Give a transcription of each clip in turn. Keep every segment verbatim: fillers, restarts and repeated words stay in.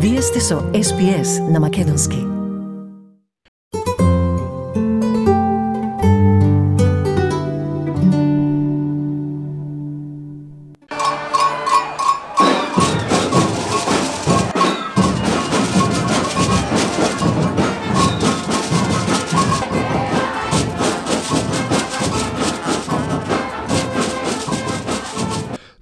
Вие сте со Ес Би Ес на Македонски.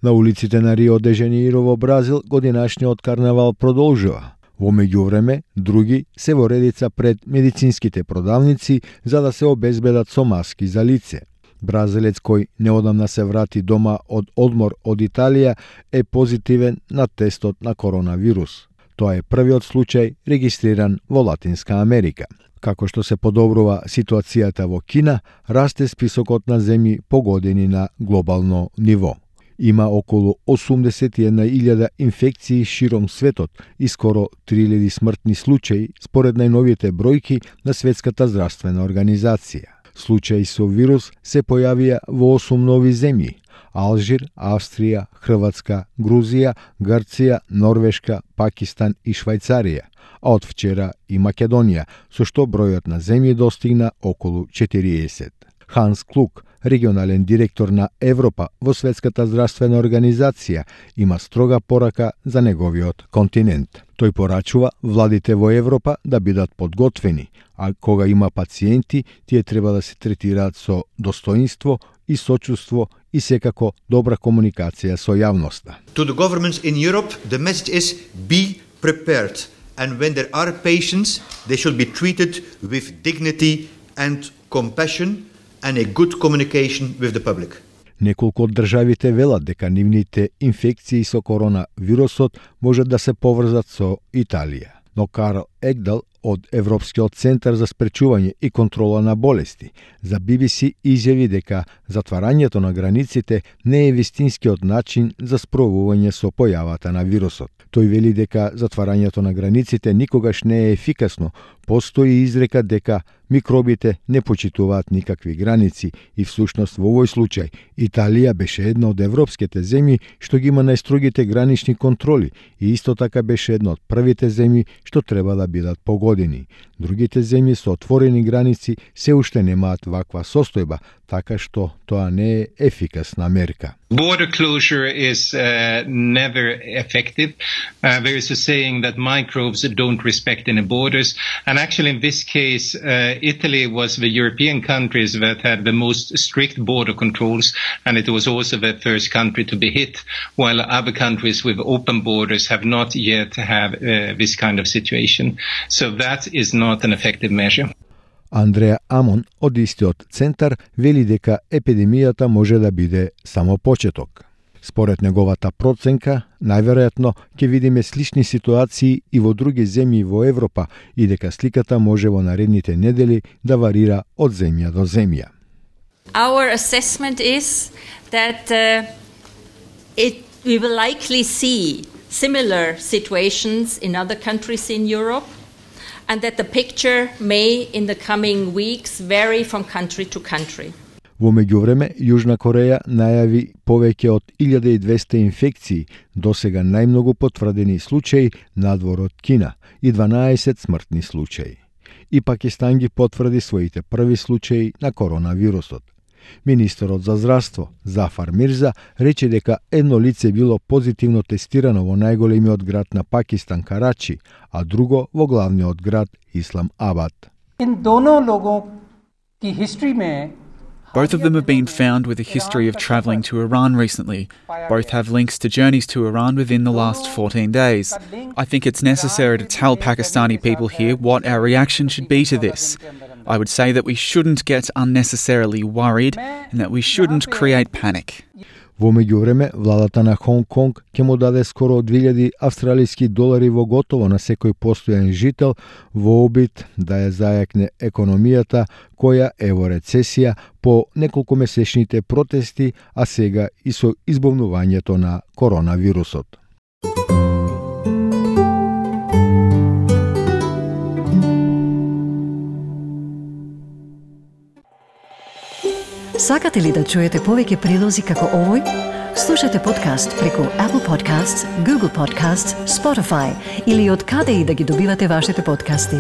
На улиците на Рио де Жанеиро во Бразил годинашниот карнавал продолжува. Во меѓувреме, други се во редица пред медицинските продавници за да се обезбедат со маски за лице. Бразилец кој неодамна се врати дома од одмор од Италија е позитивен на тестот на коронавирус. Тоа е првиот случај регистриран во Латинска Америка. Како што се подобрува ситуацијата во Кина, расте списокот на земји погодени на глобално ниво. Има околу осумдесет и една илјада инфекции широм светот и скоро три илјади смртни случаи според најновите бројки на Светската здравствена организација. Случаи со вирус се појавија во осум нови земји: Алжир, Австрија, Хрватска, Грузија, Грција, Норвешка, Пакистан и Швајцарија, а од вчера и Македонија, со што бројот на земји достигна околу четириесет. Ханс Клук, регионален директор на Европа во Светската здравствена организација, има строга порака за неговиот континент. Тој порачува владите во Европа да бидат подготвени, а кога има пациенти, тие треба да се третираат со достоинство и сочувство и секако добра комуникација со јавноста. To the governments in Europe, the message is be prepared. And when there are patients, they should be treated with dignity and compassion and a good communication with the public. Неколку од државите велат дека нивните инфекции со коронавирусот можат да се поврзат со Италија. Но Карл Егдал од Европскиот центар за спречување и контрола на болести за Би Би Си изјави дека затварањето на границите не е вистинскиот начин за справување со појавата на вирусот. Тој вели дека затварањето на границите никогаш не е ефикасно. Постои изрека дека микробите не почитуваат никакви граници и всушност во овој случај Италија беше една од европските земји што ги има најстрогите гранични контроли и исто така беше една од првите земји што треба да бидат погодени. Другите земји со отворени граници се уште немаат ваква состојба, така што тоа не е ефикасна мерка. Border closure is uh, never effective. Uh, there is a saying that microbes don't respect any borders. And actually in this case, uh, Italy was the European countries that had the most strict border controls, and it was also the first country to be hit, while other countries with open borders have not yet have uh, this kind of situation. So that is not an effective measure. Андреа Амон од истиот центар вели дека епидемијата може да биде само почеток. Според неговата проценка, најверојатно ќе видиме слични ситуации и во други земји во Европа и дека сликата може во наредните недели да варира од земја до земја. Our assessment is that uh, it, we will likely see similar situations in other countries in Europe, and that the picture may in the coming weeks vary from country to country. Во меѓувреме, Јужна Кореја најави повеќе од илјада и двесте инфекции, досега најмногу потврдени случаи надвор од Кина и дванаесет смртни случаи. И Пакистан ги потврди своите први случаи на коронавирусот. Министерот за здравство Зафар Мирза рече дека едно лице било позитивно тестирано во најголемиот град на Пакистан, Карачи, а друго во главниот град Ислам Абад. Both of them have been found with a history of travelling to Iran recently. Both have links to journeys to Iran within the last fourteen days. I think it's necessary to tell Pakistani people here what our reaction should be to this. I would say that we shouldn't get unnecessarily worried and that we shouldn't create panic. Во меѓувреме, владата на Хонг Конг ќе му даде скоро две илјади австралиски долари во готово на секој постојан жител во обид да ја зајакне економијата која е во рецесија по неколку месечните протести, а сега и со избавнувањето на коронавирусот. Сакате ли да чуете повеќе прилози како овој? Слушате подкаст преку Apple Podcasts, Google Podcasts, Spotify или од каде и да ги добивате вашите подкасти.